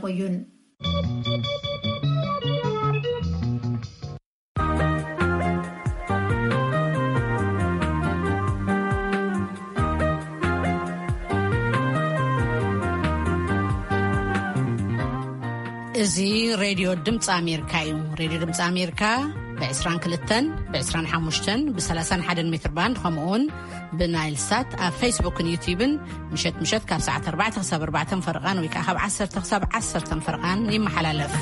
ቆዩን። እዚ ሬድዮ ድምፂ ኣሜሪካ እዩ። ሬድዮ ድምፂ ኣሜሪካ ብ22፣ ብ25፣ ብ31 ሜትር ባንድ፣ ከምኡውን ብናይል ሳት ኣብ ፌስቡክን ዩቲዩብን ምሸት ምሸት ካብ ሰዓት ኣርባዕተ ክሳብ ኣርባዕተ ፈረቓን ወይ ከዓ ካብ ዓሰርተ ክሳብ ዓሰርተ ፈረቓን ይመሓላለፍ።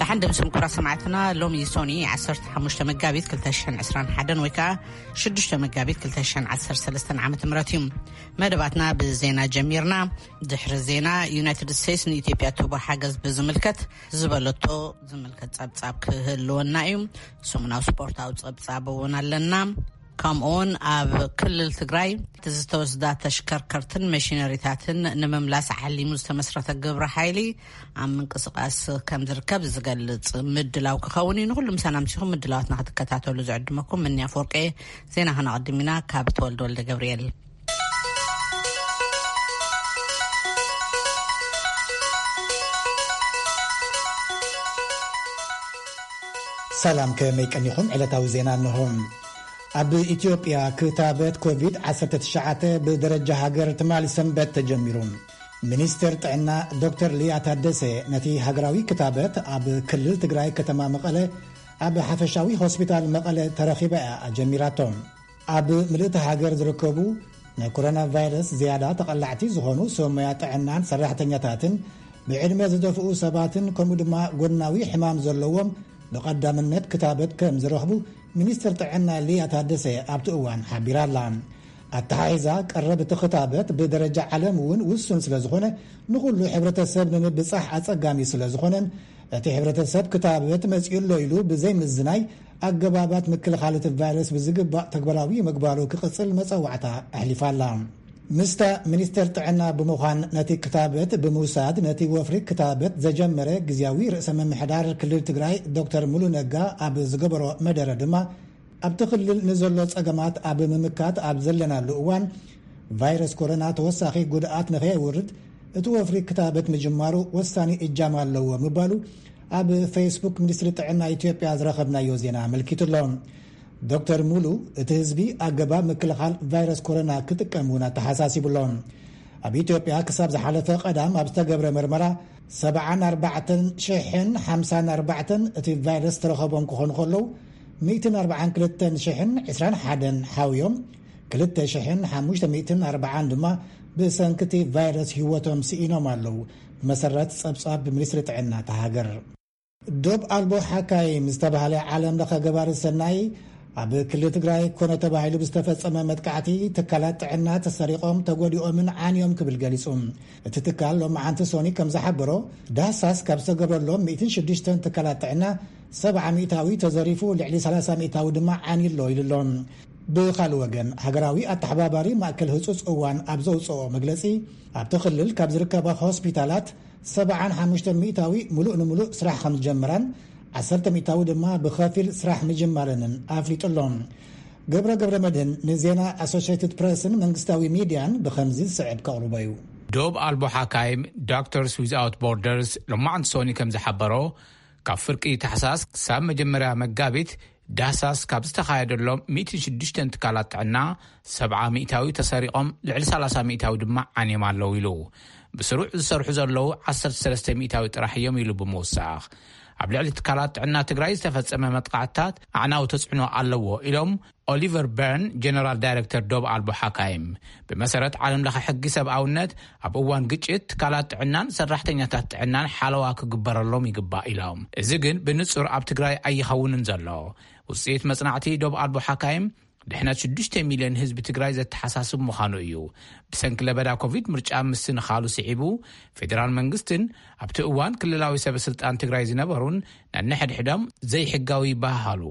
ደሓን ደምስም ክቡራት ሰማዕትና፣ ሎሚ ሶኒ ዓሰርተ ሓሙሽተ መጋቢት ክልተ ሽሕን ዕስራን ሓደን ወይ ከዓ ሽዱሽተ መጋቢት ክልተ ሽሕን ዓሰርተ ሰለስተን ዓመተ ምህረት እዩ። መደባትና ብዜና ጀሚርና። ድሕሪ ዜና፣ ዩናይትድ ስቴትስ ንኢትዮጵያ ትህቦ ሓገዝ ብዝምልከት ዝበለቶ ዝምልከት ጸብጻብ ክህልወና እዩ። ሰሙናዊ ስፖርታዊ ጸብጻብ እውን ኣለና። ከምኡውን ኣብ ክልል ትግራይ እቲ ዝተወስዳ ተሽከርከርትን መሽነሪታትን ንምምላስ ዓሊሙ ዝተመስረተ ግብረ ሓይሊ ኣብ ምንቅስቃስ ከም ዝርከብ ዝገልጽ ምድላው ክኸውን እዩ። ንኹሉ ምሳና ምሲኹም ምድላዋትና ክትከታተሉ ዝዕድመኩም ምንያ ፍወርቄ። ዜና ከነቐድም ኢና ካብ ተወልደ ወልደ ገብርኤል። ሰላም፣ ከመይ ቀኒኹም? ዕለታዊ ዜና እንሆ። ኣብ ኢትዮጵያ ክታበት ኮቪድ ዓሰርተ ትሽዓተ ብደረጃ ሃገር ትማሊ ሰንበት ተጀሚሩ። ሚኒስትር ጥዕና ዶክተር ሊያ ታደሰ ነቲ ሃገራዊ ክታበት ኣብ ክልል ትግራይ ከተማ መቐለ ኣብ ሓፈሻዊ ሆስፒታል መቐለ ተረኺባ እያ ኣጀሚራቶ። ኣብ ምልእቲ ሃገር ዝርከቡ ናይ ኮሮና ቫይረስ ዝያዳ ተቐላዕቲ ዝኾኑ ሰብ ሞያ ጥዕናን ሰራሕተኛታትን ብዕድመ ዝደፍኡ ሰባትን ከምኡ ድማ ጎናዊ ሕማም ዘለዎም ብቐዳምነት ክታበት ከም ዝረኽቡ ሚኒስትር ጥዕና ሊያ ታደሰ ኣብቲ እዋን ሓቢራ ኣላ። ኣተሓሒዛ ቀረብ እቲ ክታበት ብደረጃ ዓለም እውን ውሱን ስለ ዝኾነ ንኹሉ ሕብረተሰብ ንምብጻሕ ኣጸጋሚ ስለ ዝኾነን እቲ ሕብረተሰብ ክታበት መጺኡ ኣሎ ኢሉ ብዘይምዝናይ ኣገባባት ምክልኻል እቲ ቫይረስ ብዝግባእ ተግባራዊ ምግባሩ ክቕጽል መጸዋዕታ ኣሕሊፋ ኣላ። ምስታ ሚኒስቴር ጥዕና ብምዃን ነቲ ክታበት ብምውሳድ ነቲ ወፍሪ ክታበት ዘጀመረ ግዝያዊ ርእሰ ምምሕዳር ክልል ትግራይ ዶክተር ሙሉ ነጋ ኣብ ዝገበሮ መደረ ድማ ኣብቲ ክልል ንዘሎ ጸገማት ኣብ ምምካት ኣብ ዘለናሉ እዋን ቫይረስ ኮሮና ተወሳኺ ጉድኣት ንኸየውርድ እቲ ወፍሪ ክታበት ምጅማሩ ወሳኒ እጃም ኣለዎ ምባሉ ኣብ ፌስቡክ ሚኒስትሪ ጥዕና ኢትዮጵያ ዝረኸብናዮ ዜና ኣመልኪቱ ኣሎ። ዶክተር ሙሉ እቲ ህዝቢ ኣገባብ ምክልኻል ቫይረስ ኮሮና ክጥቀም እውን ኣተሓሳሲቡ ኣሎ። ኣብ ኢትዮጵያ ክሳብ ዝሓለፈ ቀዳም ኣብ ዝተገብረ መርመራ ሰብዓን ኣርባዕተን ሽሕን ሓምሳን ኣርባዕተን እቲ ቫይረስ ተረኸቦም ክኾኑ ከለዉ ሚእትን ኣርባዓን ክልተን ሽሕን ዕስራን ሓደን ሓውዮም ክልተ ሽሕን ሓሙሽተ ሚእትን ኣርባዓን ድማ ብሰንኪ እቲ ቫይረስ ህይወቶም ስኢኖም ኣለዉ። ብመሰረት ጸብጻብ ሚኒስትሪ ጥዕና እታ ሃገር። ዶብ ኣልቦ ሓካይም ዝተባህለ ዓለም ለኸ ገባሪ ሰናይ ኣብ ክልል ትግራይ ኮነ ተባሂሉ ብዝተፈጸመ መጥቃዕቲ ትካላት ጥዕና ተሰሪቖም ተጎዲኦምን ዓንዮም ክብል ገሊጹ። እቲ ትካል ሎማዓንቲ ሶኒ ከም ዝሓበሮ ዳህሳስ ካብ ዝተገብረሎም ሚእትን ሽዱሽተን ትካላት ጥዕና ሰብዓ ሚእታዊ ተዘሪፉ ልዕሊ ሰላሳ ሚእታዊ ድማ ዓንዩ ኣሎ ኢሉ ኣሎ። ብኻልእ ወገን ሃገራዊ ኣተሓባባሪ ማእከል ህጹጽ እዋን ኣብ ዘውፅኦ መግለጺ ኣብቲ ክልል ካብ ዝርከባ ሆስፒታላት ሰብዓን ሓሙሽተ ሚእታዊ ሙሉእ ንሙሉእ ስራሕ ከም ዝጀመራን ዓሰርተ ሚእታዊ ድማ ብኸፊል ስራሕ ምጅማረንን ኣፍሊጡ ኣሎ። ገብረ ገብረ መድህን ንዜና ኣሶሽትድ ፕረስን መንግስታዊ ሚድያን ብኸምዚ ዝስዕብ ከቕርቦ እዩ። ዶብ ኣልቦ ሓካይም ዶክተርስ ዊዝኣውት ቦርደርስ ሎማዓንቲ ሶኒ ከም ዝሓበሮ ካብ ፍርቂ ታሕሳስ ክሳብ መጀመርያ መጋቢት ዳህሳስ ካብ ዝተኻየደሎም ሚእትን ሽዱሽተን ትካላት ጥዕና ሰብዓ ሚእታዊ ተሰሪቖም ልዕሊ ሰላሳ ሚእታዊ ድማ ዓንዮም ኣለዉ ኢሉ። ብስሩዕ ዝሰርሑ ዘለዉ ዓሰርተ ሰለስተ ሚእታዊ ጥራሕ እዮም ኢሉ ብምውሳኽ ኣብ ልዕሊ ትካላት ጥዕና ትግራይ ዝተፈጸመ መጥቃዕትታት ኣዕናዊ ተጽዕኖ ኣለዎ ኢሎም ኦሊቨር በርን ጀነራል ዳይረክተር ዶብ ኣልቦ ሓካይም። ብመሰረት ዓለም ለኸ ሕጊ ሰብኣውነት ኣብ እዋን ግጭት ትካላት ጥዕናን ሰራሕተኛታት ጥዕናን ሓለዋ ክግበረሎም ይግባእ ኢሎም። እዚ ግን ብንጹር ኣብ ትግራይ ኣይኸውንን ዘሎ። ውፅኢት መጽናዕቲ ዶብ ኣልቦ ሓካይም ድሕነት ሽዱሽተ ሚልዮን ህዝቢ ትግራይ ዘተሓሳስብ ምዃኑ እዩ። ብሰንኪ ለበዳ ኮቪድ ምርጫ ምስንኻሉ ስዒቡ ፌዴራል መንግስትን ኣብቲ እዋን ክልላዊ ሰበ ስልጣን ትግራይ ዝነበሩን ነንሕድሕዶም ዘይሕጋዊ ይበሃሃሉ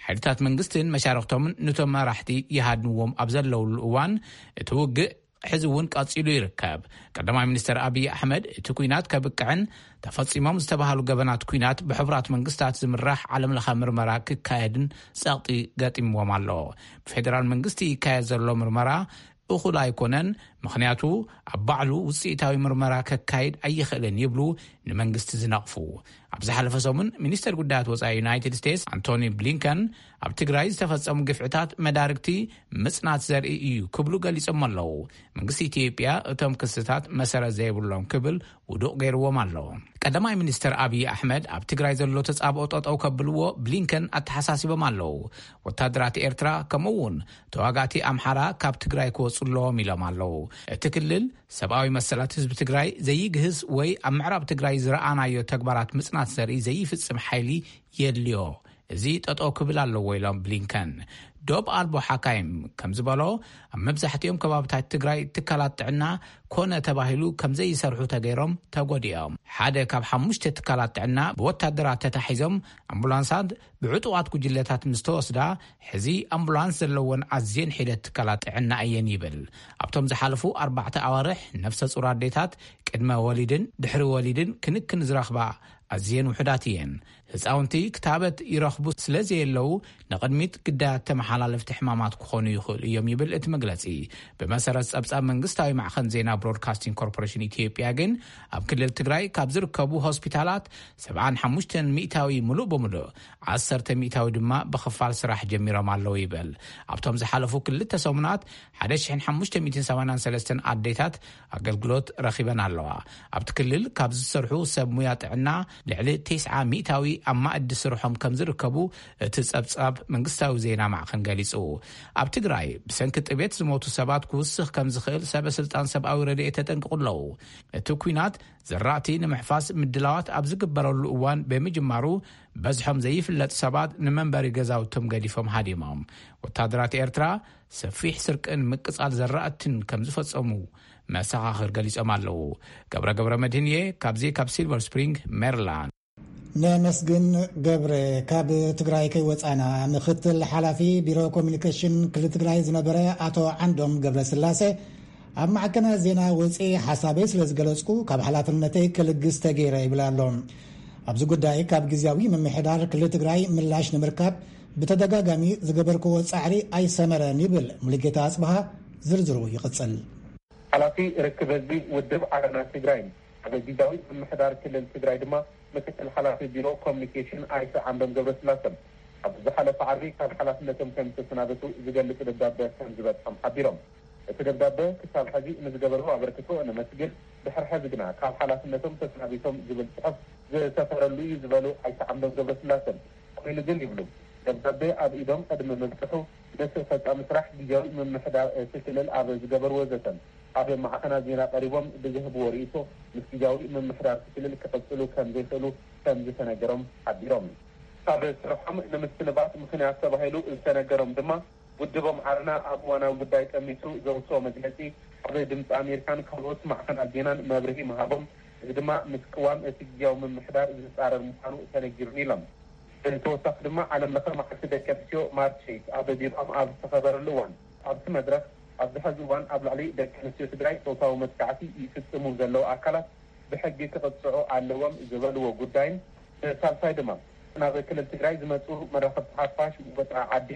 ሓይልታት መንግስትን መሻርክቶምን ነቶም መራሕቲ ይሃድንዎም ኣብ ዘለውሉ እዋን እቲ ውግእ ሕዚ እውን ቀጺሉ ይርከብ። ቀዳማይ ሚኒስተር ኣብይ ኣሕመድ እቲ ኲናት ከብቅዕን ተፈጺሞም ዝተባህሉ ገበናት ኲናት ብሕቡራት መንግስታት ዝምራሕ ዓለምለኸ ምርመራ ክካየድን ጸቕጢ ገጢምዎም ኣሎ። ብፌደራል መንግስቲ ይካየድ ዘሎ ምርመራ እኹል ኣይኮነን፣ ምኽንያቱ ኣብ ባዕሉ ውጽኢታዊ ምርመራ ከካይድ ኣይኽእልን ይብሉ ንመንግስቲ ዝነቕፉ። ኣብ ዝሓለፈ ሰሙን ሚኒስተር ጉዳያት ወጻኢ ዩናይትድ ስቴትስ ኣንቶኒ ብሊንከን ኣብ ትግራይ ዝተፈጸሙ ግፍዕታት መዳርግቲ ምጽናት ዘርኢ እዩ ክብሉ ገሊጾም ኣለዉ። መንግስቲ ኢትዮጵያ እቶም ክስታት መሰረት ዘይብሎም ክብል ውዱቕ ገይርዎም ኣሎ። ቀዳማይ ሚኒስተር ኣብይ ኣሕመድ ኣብ ትግራይ ዘሎ ተጻብኦ ጠጠው ከብልዎ ብሊንከን ኣተሓሳሲቦም ኣለዉ። ወታደራት ኤርትራ ከምኡ እውን ተዋጋእቲ ኣምሓራ ካብ ትግራይ ክወጹ ኣለዎም ኢሎም ኣለዉ። እቲ ክልል ሰብኣዊ መሰላት ህዝቢ ትግራይ ዘይግህስ ወይ ኣብ ምዕራብ ትግራይ ዝረኣናዮ ተግባራት ምጽናት ዘርኢ ዘይፍጽም ሓይሊ የድልዮ። እዚ ጠጠው ክብል ኣለዎ ኢሎም ብሊንከን። ዶብ ኣልቦ ሓካይም ከም ዝበሎ ኣብ መብዛሕትኦም ከባብታት ትግራይ ትካላት ጥዕና ኮነ ተባሂሉ ከም ዘይሰርሑ ተገይሮም ተጎዲኦም። ሓደ ካብ ሓሙሽተ ትካላት ጥዕና ብወታደራት ተታሒዞም ኣምቡላንሳት ብዕጡቓት ጉጅለታት ምስ ተወስዳ፣ ሕዚ ኣምቡላንስ ዘለወን ኣዝየን ሒደት ትካላት ጥዕና እየን ይብል። ኣብቶም ዝሓለፉ ኣርባዕተ ኣዋርሕ ነፍሰ ጹር ኣዴታት ቅድመ ወሊድን ድሕሪ ወሊድን ክንክን ዝረኽባ ኣዝየን ውሑዳት እየን። ህፃውንቲ ክታበት ይረኽቡ ስለ ዘየለዉ ንቕድሚት ግዳያት ተመሓላለፍቲ ሕማማት ክኾኑ ይኽእሉ እዮም ይብል እቲ መግለፂ። ብመሰረት ጸብጻብ መንግስታዊ ማዕኸን ዜና ብሮድካስቲንግ ኮርፖሬሽን ኢትዮጵያ ግን ኣብ ክልል ትግራይ ካብ ዝርከቡ ሆስፒታላት ሰብዓን ሓሙሽተን ሚእታዊ ምሉእ ብምሉእ፣ ዓሰርተ ሚእታዊ ድማ ብኽፋል ስራሕ ጀሚሮም ኣለዉ ይብል። ኣብቶም ዝሓለፉ ክልተ ሰሙናት ሓደ ሽሕን ሓሙሽተ ሚእትን ሰማንያን ሰለስተን ኣዴታት ኣገልግሎት ረኺበን ኣለዋ። ኣብቲ ክልል ካብ ዝሰርሑ ሰብ ሙያ ጥዕና ልዕሊ ተስዓ ሚእታዊ ኣብ ማእዲ ስርሖም ከም ዝርከቡ እቲ ጸብጻብ መንግስታዊ ዜና ማዕኸን ገሊጹ። ኣብ ትግራይ ብሰንኪ ጥቤት ዝሞቱ ሰባት ክውስኽ ከም ዝኽእል ሰበ ስልጣን ሰብኣዊ ረድኤት ተጠንቅቑ ኣለዉ። እቲ ኲናት ዘራእቲ ንምሕፋስ ምድላዋት ኣብ ዝግበረሉ እዋን ብምጅማሩ፣ በዝሖም ዘይፍለጥ ሰባት ንመንበሪ ገዛውቶም ገዲፎም ሃዲሞም። ወታደራት ኤርትራ ሰፊሕ ስርቅን ምቅጻል ዘራእትን ከም ዝፈጸሙ መሰኻኽር ገሊጾም ኣለዉ። ገብረ ገብረ መድህንየ ካብዚ ካብ ሲልቨር ስፕሪንግ ሜሪላንድ። ነመስግን ገብረ። ካብ ትግራይ ከይወፃና፣ ምክትል ሓላፊ ቢሮ ኮሚኒኬሽን ክልል ትግራይ ዝነበረ ኣቶ ዓንዶም ገብረስላሴ ኣብ ማዕከናት ዜና ወፂ ሓሳበይ ስለ ዝገለፅኩ ካብ ሓላፍነተይ ክልግስ ተገይረ ይብል ኣሎ። ኣብዚ ጉዳይ ካብ ግዝያዊ ምምሕዳር ክልል ትግራይ ምላሽ ንምርካብ ብተደጋጋሚ ዝገበርክዎ ፃዕሪ ኣይሰመረን ይብል ሙሉጌታ ኣፅብሃ። ዝርዝሩ ይቕፅል። ሓላፊ ርክብ ህዝቢ ውድብ ዓረና ትግራይ ኣብ ግዝያዊ ምምሕዳር ክልል ትግራይ ድማ ምክትል ሓላፊ ቢሮ ኮሚኒኬሽን ኣይተ ዓንዶም ገብረስላሰ ኣብ ዝሓለፈ ዓርቢ ካብ ሓላፍነቶም ከም ዝተሰናበቱ ዝገልጽ ደብዳበ ከም ዝበጽሖም ሓቢሮም። እቲ ደብዳበ ክሳብ ሕዚ ንዝገበርዎ ኣበርክቶ ነመስግን፣ ድሕሪ ሕዚ ግና ካብ ሓላፍነቶም ተሰናቢቶም ዝብል ጽሑፍ ዝሰፈረሉ እዩ ዝበሉ ኣይተ ዓንዶም ገብረስላሰ፣ ኮይኑ ግን ይብሉ፣ ደብዳበ ኣብ ኢዶም ቅድሚ ምብጽሑ፣ ነቲ ፈጻሚ ስራሕ ግዝያዊ ምምሕዳር እቲ ክልል ኣብ ዝገበርዎ ዘተን ኣብ ማዕኸናት ዜና ቀሪቦም ብዝህብዎ ርእይቶ፣ ምስ ግዝያዊ ምምሕዳር እቲ ክልል ክቕጽሉ ከም ዘይኽእሉ ከም ዝተነገሮም ሓቢሮም። ካብ ስርሖም ንምስንባት ምኽንያት ተባሂሉ ዝተነገሮም ድማ፣ ውድቦም ዓረና ኣብ እዋናዊ ጉዳይ ጠሚቱ ዘውፅኦ መግለፂ ኣብ ድምፂ ኣሜሪካን ካልኦት ማዕኸናት ዜናን መብርሂ ምሃቦም፣ እዚ ድማ ምስ ቅዋም እቲ ግዝያዊ ምምሕዳር ዝፃረር ምዃኑ ተነጊሩኒ ኢሎም። ብተወሳኺ ድማ ዓለም ለኸ መዓልቲ ደቂ ኣንስትዮ ማርች ኤይት ኣብ ቢሮኦም ኣብ ዝተኸበረሉ እዋን፣ ኣብቲ መድረኽ ኣብዚ ሐዚ እዋን ኣብ ልዕሊ ደቂ ኣንስትዮ ትግራይ ፆታዊ መጥቃዕቲ ይፍፅሙ ዘለዉ ኣካላት ብሕጊ ክቕፅዑ ኣለዎም ዝበልዎ ጉዳይን፣ ብሳልሳይ ድማ ናብ ክልል ትግራይ ዝመፁ መራኸብቲ ሓፋሽ ወፃኢ ዓዲ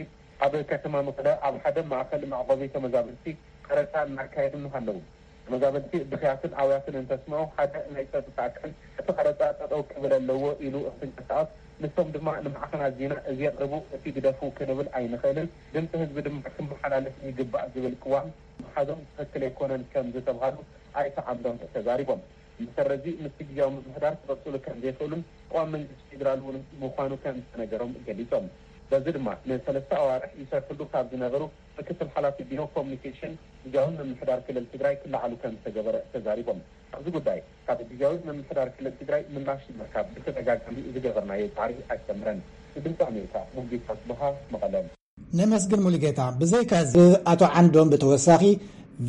ኣብ ከተማ መቐለ ኣብ ሓደ ማእኸል መዕቆቢ ተመዛበልቲ ቀረፃ እናካየዱ ኣለዉ። ተመዛበልቲ ብኽያትን ኣውያትን እንተስምዑ ሓደ ናይ ፀጥታ ኣካል እቲ ቀረፃ ጠጠው ክብል ኣለዎ ኢሉ እንትንቀሳቐስ፣ ንሶም ድማ ንማዕኸናት ዜና እዚ የቕርቡ እቲ ግደፉ ክንብል ኣይንኽእልን፣ ድምፂ ህዝቢ ድማ ክመሓላለፍ ይግባእ ዝብል ቅዋም ምሓዞም ትኽክል ኣይኮነን ከም ዝተብሃሉ ኣይተ ዓንዶም ተዛሪቦም። መሰረዚ ምስቲ ግዝያዊ ምምሕዳር ክቕፅሉ ከም ዘይኽእሉን ቅዋም መንግስቲ ፌዴራል እውን ምዃኑ ከም ዝተነገሮም ገሊፆም። በዚ ድማ ንሰለስተ ኣዋርሕ ይሰርሕሉ ካብ ዝነበሩ ምክትል ሓላፊ ቢሮ ኮሚኒኬሽን ግዝያዊ ምምሕዳር ክልል ትግራይ ክለዓሉ ከም ዝተገበረ ተዛሪቦም። ኣብዚ ጉዳይ ካብ ግዝያዊ ምምሕዳር ክልል ትግራይ ምላሽ ንምርካብ ብተደጋጋሚ ዝገበርናዮ ፃዕሪ ኣይሰምረን። ንድምፂ ኣሜሪካ ሙልጌታ ጽብሃ መቐለ። ነመስግን ሙሉጌታ። ብዘይካ እዚ ኣቶ ዓንዶም ብተወሳኺ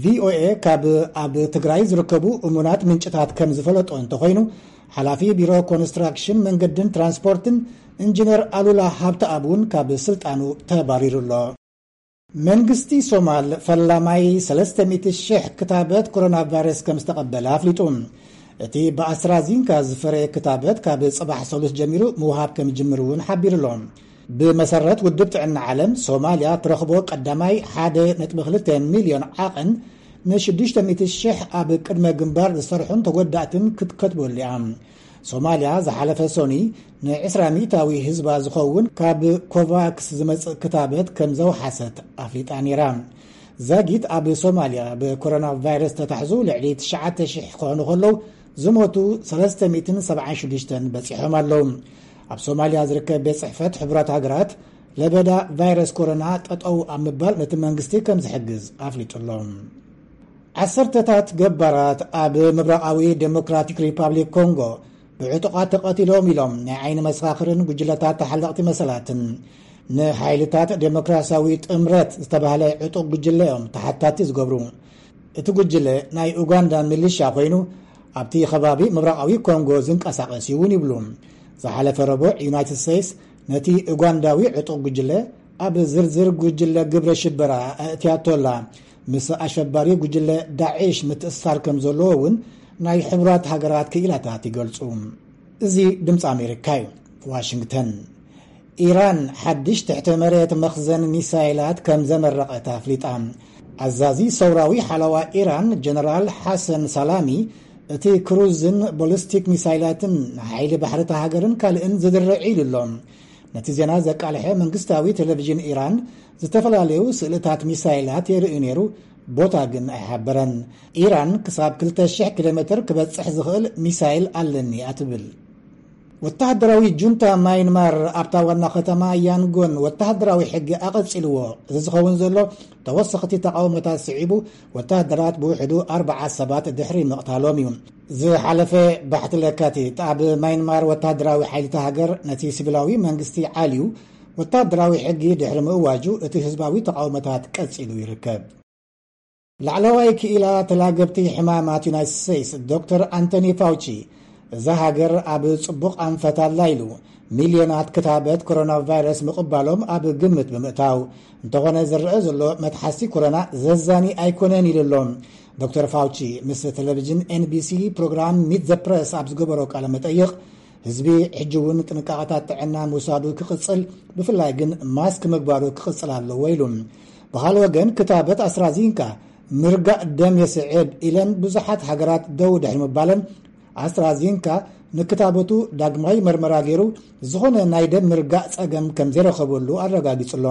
ቪኦኤ ካብ ኣብ ትግራይ ዝርከቡ እሙናት ምንጭታት ከም ዝፈለጦ እንተኾይኑ፣ ሓላፊ ቢሮ ኮንስትራክሽን መንገድን ትራንስፖርትን ኢንጂነር ኣሉላ ሃብተኣብ እውን ካብ ስልጣኑ ተባሪሩ ኣሎ። መንግስቲ ሶማል ፈላማይ ሰለስተ ሚእቲ ሽሕ ክታበት ኮሮና ቫይረስ ከም ዝተቐበለ ኣፍሊጡ። እቲ ብኣስትራዚንካ ዝፈረየ ክታበት ካብ ጽባሕ ሰሉስ ጀሚሩ ምውሃብ ከም ዝጅምር እውን ሓቢሩ ኣሎ። ብመሰረት ውድብ ጥዕና ዓለም፣ ሶማልያ ትረኽቦ ቀዳማይ ሓደ ነጥቢ ክልተ ሚልዮን ዓቐን ንሽዱሽተ ሚእቲ ሽሕ ኣብ ቅድመ ግንባር ዝሰርሑን ተጎዳእትን ክትከትበሉ እያ። ሶማልያ ዝሓለፈ ሶኒ ንዕስራ ሚእታዊ ህዝባ ዝኸውን ካብ ኮቫክስ ዝመጽእ ክታበት ከም ዘውሓሰት ኣፍሊጣ ነይራ። ዛጊት ኣብ ሶማልያ ብኮሮና ቫይረስ ተታሕዙ ልዕሊ ትሽዓተ ሽሕ ክኾኑ ከለዉ፣ ዝሞቱ ሰለስተ ሚእትን ሰብዓን ሽዱሽተን በጺሖም ኣለዉ። ኣብ ሶማልያ ዝርከብ ቤት ጽሕፈት ሕቡራት ሃገራት ለበዳ ቫይረስ ኮሮና ጠጠው ኣብ ምባል ነቲ መንግስቲ ከም ዝሕግዝ ኣፍሊጡ ኣሎ። ዓሰርተታት ገባራት ኣብ ምብራቓዊ ዴሞክራቲክ ሪፓብሊክ ኮንጎ ብዕጡቓት ተቐቲሎም ኢሎም ናይ ዓይኒ መሰኻኽርን ጉጅለታት ተሓለቕቲ መሰላትን። ንሓይልታት ዴሞክራሲያዊ ጥምረት ዝተባህለ ዕጡቕ ጉጅለ እዮም ተሓታቲ ዝገብሩ። እቲ ጉጅለ ናይ ኡጋንዳ ሚሊሻ ኮይኑ ኣብቲ ከባቢ ምብራቓዊ ኮንጎ ዝንቀሳቐስ እዩ እውን ይብሉ። ዝሓለፈ ረቡዕ ዩናይትድ ስቴትስ ነቲ ኡጋንዳዊ ዕጡቕ ጉጅለ ኣብ ዝርዝር ጉጅለ ግብረ ሽበራ ኣእትያቶ ኣላ። ምስ ኣሸባሪ ጉጅለ ዳዕሽ ምትእስሳር ከም ዘለዎ እውን ናይ ሕቡራት ሃገራት ክኢላታት ይገልጹ። እዚ ድምፂ ኣሜሪካ እዩ። ዋሽንግተን። ኢራን ሓድሽ ትሕተ መሬት መኽዘን ሚሳይላት ከም ዘመረቐት ኣፍሊጣ። ኣዛዚ ሰውራዊ ሓለዋ ኢራን ጀነራል ሓሰን ሳላሚ፣ እቲ ክሩዝን ቦሊስቲክ ሚሳይላትን ንሓይሊ ባሕሪ እታ ሃገርን ካልእን ዝድርዕ ኢሉ ኣሎ። ነቲ ዜና ዘቃልሐ መንግስታዊ ቴሌቪዥን ኢራን ዝተፈላለዩ ስእልታት ሚሳይላት የርኢ ነይሩ፣ ቦታ ግን ኣይሓበረን። ኢራን ክሳብ ክልተ ሽሕ ኪሎ ሜትር ክበጽሕ ዝኽእል ሚሳይል ኣለኒ እያ ትብል። ወተሃደራዊ ጁንታ ማይንማር ኣብታ ዋና ከተማ ያንጎን ወተሃደራዊ ሕጊ ኣቐጺልዎ። እዚ ዝኸውን ዘሎ ተወሰኽቲ ተቓውሞታት ስዒቡ፣ ወተሃደራት ብውሕዱ ኣርባዓ ሰባት ድሕሪ ምቕታሎም እዩ። ዝሓለፈ ባሕቲ ለካቲት ኣብ ማይንማር ወተሃደራዊ ሓይልታ ሃገር ነቲ ሲቪላዊ መንግስቲ ዓልዩ ወተሃደራዊ ሕጊ ድሕሪ ምእዋጁ እቲ ህዝባዊ ተቓውሞታት ቀጺሉ ይርከብ። ላዕለዋይ ክኢላ ተላገብቲ ሕማማት ዩናይትድ ስቴትስ ዶክተር ኣንቶኒ ፋውቺ፣ እዛ ሃገር ኣብ ጽቡቕ ኣንፈት ኣላ ኢሉ፣ ሚልዮናት ክታበት ኮሮና ቫይረስ ምቕባሎም ኣብ ግምት ብምእታው፣ እንተኾነ ዝረአ ዘሎ መትሓዝቲ ኮሮና ዘዛኒ ኣይኮነን ኢሉ ኣሎ። ዶክተር ፋውቺ ምስ ቴሌቪዥን ኤንቢሲ ፕሮግራም ሚት ዘ ፕረስ ኣብ ዝገበሮ ቃለ መጠይቕ፣ ህዝቢ ሕጂ እውን ጥንቃቐታት ጥዕና ምውሳዱ ክቕጽል፣ ብፍላይ ግን ማስክ ምግባሩ ክቕጽል ኣለዎ ኢሉ። ብኻልእ ወገን፣ ክታበት ኣስትራዚንካ ምርጋእ ደም የስዕብ ኢለን ብዙሓት ሃገራት ደው ድሕሪ ምባለን፣ ኣስትራዚንካ ንክታበቱ ዳግማይ መርመራ ገይሩ ዝኾነ ናይ ደም ምርጋእ ጸገም ከም ዘይረኸበሉ ኣረጋጊጹ ኣሎ።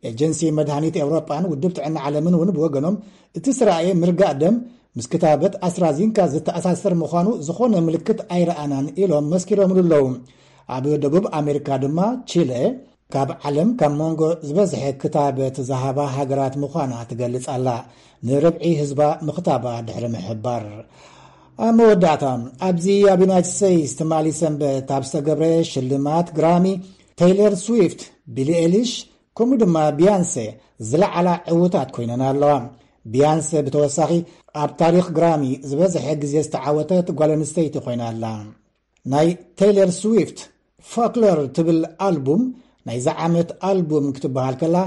ኤጀንሲ መድሃኒት ኤውሮጳን ውድብ ጥዕና ዓለምን እውን ብወገኖም፣ እቲ ዝረኣየ ምርጋእ ደም ምስ ክታበት ኣስትራዚንካ ዝተኣሳሰር ምዃኑ ዝኾነ ምልክት ኣይረኣናን ኢሎም መስኪሮምሉ ኣለዉ። ኣብ ደቡብ ኣሜሪካ ድማ ቺለ ካብ ዓለም ካብ መንጎ ዝበዝሐ ክታበት ዝሃባ ሃገራት ምዃና ትገልጽ ኣላ፣ ንርብዒ ህዝባ ምኽታባ ድሕሪ ምሕባር። ኣብ መወዳእታ፣ ኣብዚ ኣብ ዩናይትድ ስቴትስ ትማሊ ሰንበት ኣብ ዝተገብረ ሽልማት ግራሚ፣ ቴይለር ስዊፍት፣ ቢሊ ኤሊሽ፣ ከምኡ ድማ ቢያንሴ ዝለዓላ ዕዉታት ኮይነን ኣለዋ። ቢያንሴ ብተወሳኺ ኣብ ታሪኽ ግራሚ ዝበዝሐ ግዜ ዝተዓወተት ጓል ኣንስተይቲ ኮይና ኣላ። ናይ ቴይለር ስዊፍት ፎክሎር ትብል ኣልቡም ናይዛ ዓመት ኣልቡም ክትበሃል ከላ፣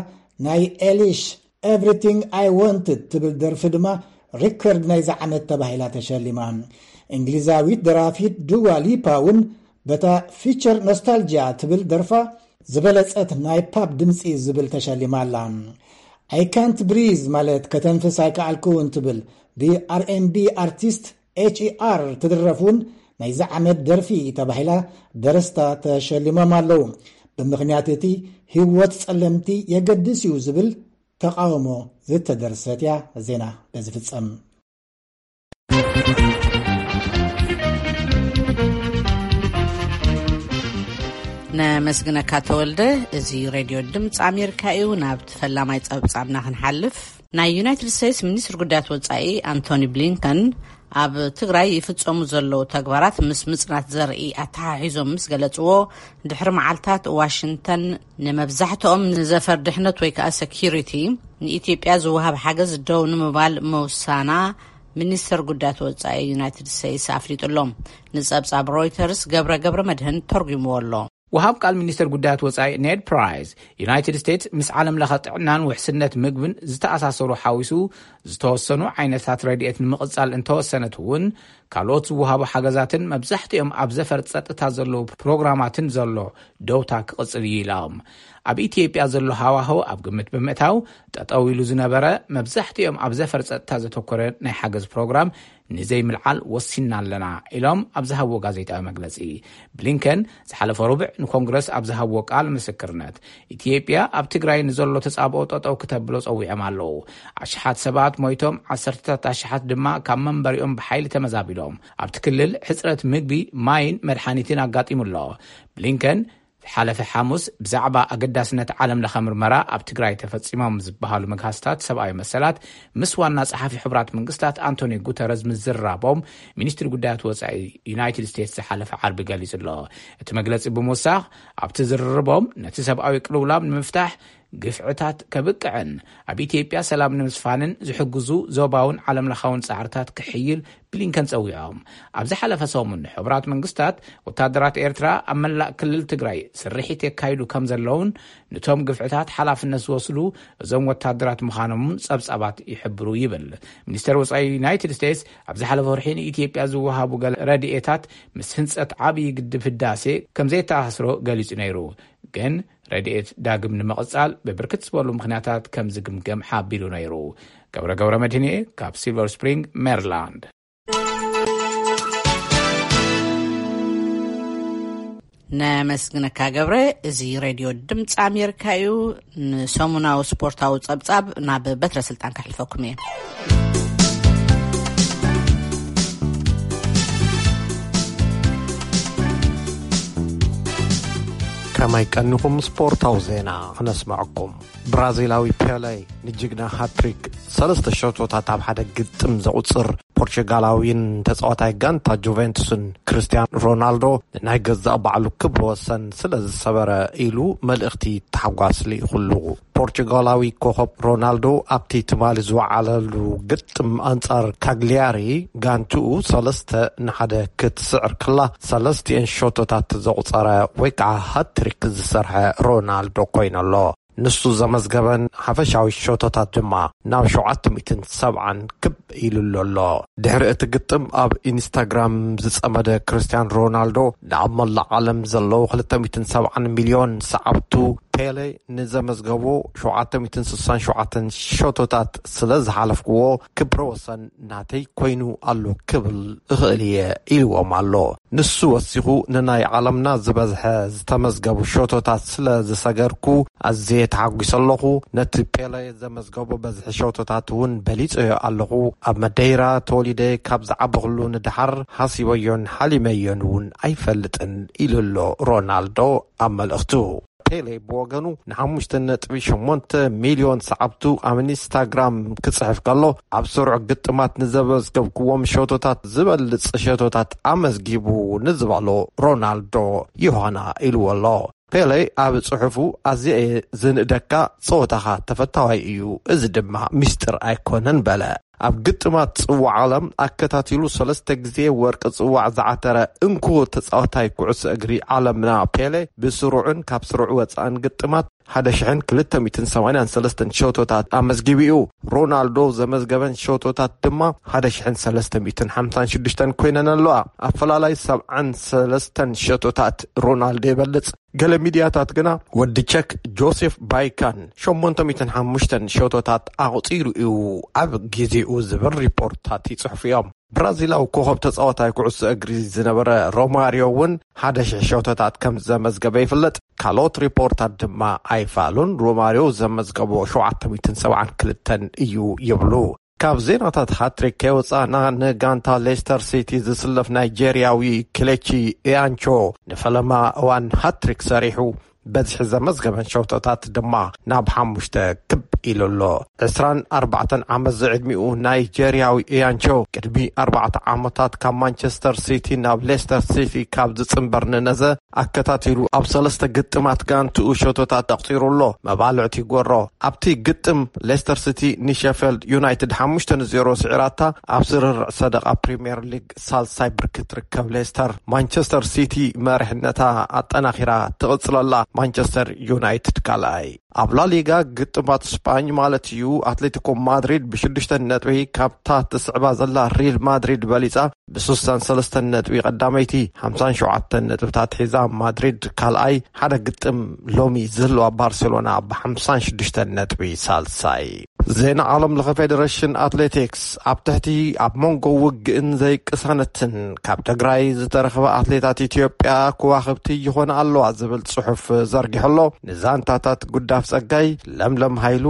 ናይ ኤሊሽ ኤቭሪቲንግ ኣይ ዋንትድ ትብል ደርፊ ድማ ሪከርድ ናይዛ ዓመት ተባሂላ ተሸሊማ። እንግሊዛዊት ደራፊት ዱዋ ሊፓ እውን በታ ፊቸር ኖስታልጂያ ትብል ደርፋ ዝበለጸት ናይ ፓፕ ድምጺ ዝብል ተሸሊማ ኣላ። ኣይ ካንት ብሪዝ ማለት ከተንፍስ ኣይከኣልኩውን ትብል ብኣርኤንቢ ኣርቲስት ኤች ኢ ኣር ትድረፍ እውን ናይዚ ዓመት ደርፊ ተባሂላ ደረስታ ተሸሊሞም ኣለዉ። ብምኽንያት እቲ ህይወት ጸለምቲ የገድስ እዩ ዝብል ተቃውሞ ዝተደርሰት እያ። ዜና በዚ ፍጸም። ነመስግነካ ተወልደ። እዚ ሬድዮ ድምፂ ኣሜሪካ እዩ። ናብ ፈላማይ ፀብፃብና ክንሓልፍ፣ ናይ ዩናይትድ ስቴትስ ሚኒስትር ጉዳያት ወፃኢ ኣንቶኒ ብሊንከን ኣብ ትግራይ ይፍፀሙ ዘለዉ ተግባራት ምስ ምፅናት ዘርኢ ኣተሓሒዞም ምስ ገለፅዎ፣ ድሕሪ መዓልታት ዋሽንግተን ንመብዛሕትኦም ንዘፈር ድሕነት ወይ ከዓ ሴኪሪቲ ንኢትዮጵያ ዝወሃብ ሓገዝ ደው ንምባል ምውሳና ሚኒስተር ጉዳያት ወፃኢ ዩናይትድ ስቴትስ ኣፍሊጡ ኣሎ። ንፀብፃብ ሮይተርስ ገብረ ገብረ መድህን ተርጉምዎ ኣሎ። ወሃብ ቃል ሚኒስተር ጉዳያት ወጻኢ ኔድ ፕራይስ፣ ዩናይትድ ስቴትስ ምስ ዓለም ለኸ ጥዕናን ውሕስነት ምግብን ዝተኣሳሰሩ ሓዊሱ ዝተወሰኑ ዓይነታት ረድኤት ንምቕጻል እንተወሰነት እውን፣ ካልኦት ዝወሃቡ ሓገዛትን መብዛሕትኦም ኣብ ዘፈር ጸጥታ ዘለዉ ፕሮግራማትን ዘሎ ደውታ ክቕጽል እዩ ኢሎም። ኣብ ኢትዮጵያ ዘሎ ሃዋህው ኣብ ግምት ብምእታው፣ ጠጠው ኢሉ ዝነበረ መብዛሕትኦም ኣብ ዘፈር ጸጥታ ዘተኮረ ናይ ሓገዝ ፕሮግራም ንዘይምልዓል ወሲንና ኣለና ኢሎም ኣብ ዝሃብዎ ጋዜጣዊ መግለጺ። ብሊንከን ዝሓለፈ ረቡዕ ንኮንግረስ ኣብ ዝሃብዎ ቃል ምስክርነት፣ ኢትዮጵያ ኣብ ትግራይ ንዘሎ ተጻብኦ ጠጠው ክተብሎ ጸዊዖም ኣለዉ። ኣሽሓት ሰባት ሞይቶም፣ ዓሰርተታት ኣሽሓት ድማ ካብ መንበሪኦም ብሓይሊ ተመዛቢሎም። ኣብቲ ክልል ሕጽረት ምግቢ፣ ማይን መድሓኒትን ኣጋጢሙ ኣሎ። ብሊንከን ዝሓለፈ ሓሙስ ብዛዕባ ኣገዳስነት ዓለም ለኸ ምርመራ ኣብ ትግራይ ተፈጺሞም ዝበሃሉ መግሃስታት ሰብኣዊ መሰላት ምስ ዋና ጸሓፊ ሕቡራት መንግስታት ኣንቶኒ ጉተረዝ ምዝራቦም ሚኒስትሪ ጉዳያት ወጻኢ ዩናይትድ ስቴትስ ዝሓለፈ ዓርቢ ገሊጹ ኣሎ። እቲ መግለጺ ብምውሳኽ፣ ኣብቲ ዝርርቦም ነቲ ሰብኣዊ ቅልውላም ንምፍታሕ ግፍዕታት ከብቅዕን ኣብ ኢትዮጵያ ሰላም ንምስፋንን ዝሕግዙ ዞባውን ዓለም ለኻውን ጻዕርታት ክሕይል ብሊንከን ጸዊዖም። ኣብ ዝሓለፈ ሰሙን ሕቡራት መንግስታት ወታደራት ኤርትራ ኣብ መላእ ክልል ትግራይ ስርሒት የካይዱ ከም ዘለውን ንቶም ግፍዕታት ሓላፍነት ዝወስዱ እዞም ወታደራት ምዃኖምን ጸብጻባት ይሕብሩ ይብል። ሚኒስተር ወጻኢ ዩናይትድ ስቴትስ ኣብ ዝሓለፈ ወርሒ ንኢትዮጵያ ዝወሃቡ ገለ ረድኤታት ምስ ህንጸት ዓብዪ ግድብ ህዳሴ ከም ዘየተኣሳስሮ ገሊጹ ነይሩ። ግን ረድኤት ዳግም ንምቕጻል ብብርክት ዝበሉ ምኽንያታት ከም ዝግምገም ሓቢሩ ነይሩ። ገብረ ገብረ መድህንኤ ካብ ሲልቨር ስፕሪንግ ሜሪላንድ። ነመስግነካ ገብረ። እዚ ሬድዮ ድምፂ ኣሜሪካ እዩ። ንሰሙናዊ ስፖርታዊ ጸብጻብ ናብ በትረ ስልጣን ከሕልፈኩም እየ። ከመይ ቀኒኹም? ስፖርታዊ ዜና ክነስምዐኩም። ብራዚላዊ ፔሌ ንጅግና ሃትሪክ ሰለስተ ሸቶታት ኣብ ሓደ ግጥም ዘቑጽር ፖርቹጋላዊን ተጻዋታይ ጋንታ ጁቬንቱስን ክርስቲያን ሮናልዶ፣ ንናይ ገዛእ ባዕሉ ክብሪ ወሰን ስለ ዝሰበረ ኢሉ መልእኽቲ ታሕጓስ ልኢኹሉ። ፖርቹጋላዊ ኮኸብ ሮናልዶ ኣብቲ ትማሊ ዝወዓለሉ ግጥም ኣንጻር ካግሊያሪ፣ ጋንትኡ ሰለስተ ንሓደ ክትስዕር ከላ፣ ሰለስቲኤን ሸቶታት ዘቑጸረ ወይ ከዓ ሃትሪክ ዝሰርሐ ሮናልዶ ኮይነሎ። ንሱ ዘመዝገበን ሓፈሻዊ ሸቶታት ድማ ናብ ሸውዓተ ሚእትን ሰብዓን ክብ ኢሉሉ ኣሎ። ድሕሪ እቲ ግጥም ኣብ ኢንስታግራም ዝጸመደ ክርስቲያን ሮናልዶ፣ ንኣብ መላእ ዓለም ዘለዉ ክልተ ሚእትን ሰብዓን ሚልዮን ሰዓብቱ ፔሌ ንዘመዝገቦ ሸውዓተ ሚእትን ስሳን ሸውዓተን ሸቶታት ስለ ዝሓለፍክዎ፣ ክብረ ወሰን ናተይ ኮይኑ ኣሎ ክብል እኽእል እየ ኢልዎም ኣሎ። ንሱ ወሲኹ፣ ንናይ ዓለምና ዝበዝሐ ዝተመዝገቡ ሸቶታት ስለ ዝሰገርኩ ኣዝየ ተሓጒሰ ኣለኹ። ነቲ ፔሌ ዘመዝገቦ በዝሒ ሸቶታት እውን በሊጸዮ ኣለኹ። ኣብ መደይራ ተወሊደ ካብ ዝዓበኹሉ ንደሓር ሃሲበዮን ሓሊመዮን እውን ኣይፈልጥን ኢሉ ኣሎ ሮናልዶ ኣብ መልእኽቱ። ፔሌ ብወገኑ ንሓሙሽተ ነጥቢ ሸሞንተ ሚልዮን ሰዓብቱ ኣብ ኢንስታግራም ክጽሕፍ ከሎ፣ ኣብ ስሩዕ ግጥማት ንዘመዝገብክዎም ሸቶታት ዝበልጽ ሸቶታት ኣመዝጊቡ ንዝበሎ ሮናልዶ ዮሃና ኢልዎ ኣሎ። ፔሌ ኣብ ጽሑፉ፣ "ኣዝየ እየ ዝንእደካ፣ ጸወታኻ ተፈታዋይ እዩ፣ እዚ ድማ ሚስጥር ኣይኮነን" በለ። ኣብ ግጥማት ጽዋዕ ዓለም ኣከታቲሉ ሰለስተ ግዜ ወርቂ ጽዋዕ ዝዓተረ እንኮ ተጻዋታይ ኩዕሶ እግሪ ዓለምና ፔሌ፣ ብስሩዕን ካብ ስሩዕ ወጻእን ግጥማት ሓደ ሽሕን ክልተ ሚእትን ሰማንያን ሰለስተን ሸቶታት ኣመዝጊቡ እዩ። ሮናልዶ ዘመዝገበን ሸቶታት ድማ ሓደ ሽሕን ሰለስተ ሚእትን ሓምሳን ሽዱሽተን ኮይነን ኣለዋ። ኣፈላላይ ሰብዓን ሰለስተን ሸቶታት ሮናልዶ ይበልጽ። ገለ ሚድያታት ግና፣ ወዲ ቸክ ጆሴፍ ባይካን ሸሞንተ ሚእትን ሓሙሽተን ሸቶታት ኣቑጺሩ እዩ ኣብ ግዜኡ ዝብል ሪፖርታት ይጽሕፉ እዮም። ብራዚላዊ ኮኸብ ተጻዋታይ ኩዕሶ እግሪ ዝነበረ ሮማሪዮ እውን ሓደ ሽሕ ሸቶታት ከም ዘመዝገበ ይፍለጥ። ካልኦት ሪፖርታት ድማ ኣይፋሉን። ሮማሪዮ ዘመዝገቦ ሸውዓተ ሚእትን ሰብዓን ክልተን እዩ ይብሉ። ካብ ዜናታት ሃትሪክ ከይወጻእና፣ ንጋንታ ሌስተር ሲቲ ዝስለፍ ናይጄርያዊ ክሌቺ ኢያንቾ ንፈለማ እዋን ሃትሪክ ሰሪሑ በዝሒ ዘመዝገበን ሸውቶታት ድማ ናብ ሓሙሽተ ክብ ኢሉ ኣሎ። ዕስራን ኣርባዕተን ዓመት ዝዕድሚኡ ናይጀርያዊ ኢያንቾ ቅድሚ ኣርባዕተ ዓመታት ካብ ማንቸስተር ሲቲ ናብ ሌስተር ሲቲ ካብ ዝጽንበር ንነዘ ኣከታቲሉ ኣብ ሰለስተ ግጥማት ጋንትኡ ሸቶታት ኣቕጺሩ ኣሎ። መባልዕቲ ጎሮ ኣብቲ ግጥም ሌስተር ሲቲ ንሸፌልድ ዩናይትድ ሓሙሽተ ንዜሮ ስዒራታ ኣብ ስርርዕ ሰደቓ ፕሪምየር ሊግ ሳልሳይ ብርኪ ትርከብ ሌስተር፣ ማንቸስተር ሲቲ መሪሕነታ ኣጠናኺራ ትቕጽለላ። ማንቸስተር ዩናይትድ ካልኣይ። ኣብ ላሊጋ ግጥማት ስጳኝ ማለት እዩ፣ ኣትሌቲኮ ማድሪድ ብሽዱሽተ ነጥቢ ካብታ ትስዕባ ዘላ ሪል ማድሪድ በሊጻ ብስሳን ሰለስተን ነጥቢ ቀዳመይቲ፣ ሓምሳን ሸውዓተን ነጥብታት ሒዛ ማድሪድ ካልኣይ፣ ሓደ ግጥም ሎሚ ዝህልዋ ባርሴሎና ብሓምሳን ሽዱሽተን ነጥቢ ሳልሳይ። ዜና ዓለም ለኸ። ፌዴሬሽን ኣትሌቲክስ ኣብ ትሕቲ ኣብ መንጎ ውግእን ዘይቅሳነትን ካብ ትግራይ ዝተረኽበ ኣትሌታት ኢትዮጵያ ከዋኽብቲ ይኾና ኣለዋ ዝብል ጽሑፍ ዘርጊሑ ኣሎ። ንዛንታታት ጉዳፍ ጸጋይ፣ ለምለም ሃይሉ፣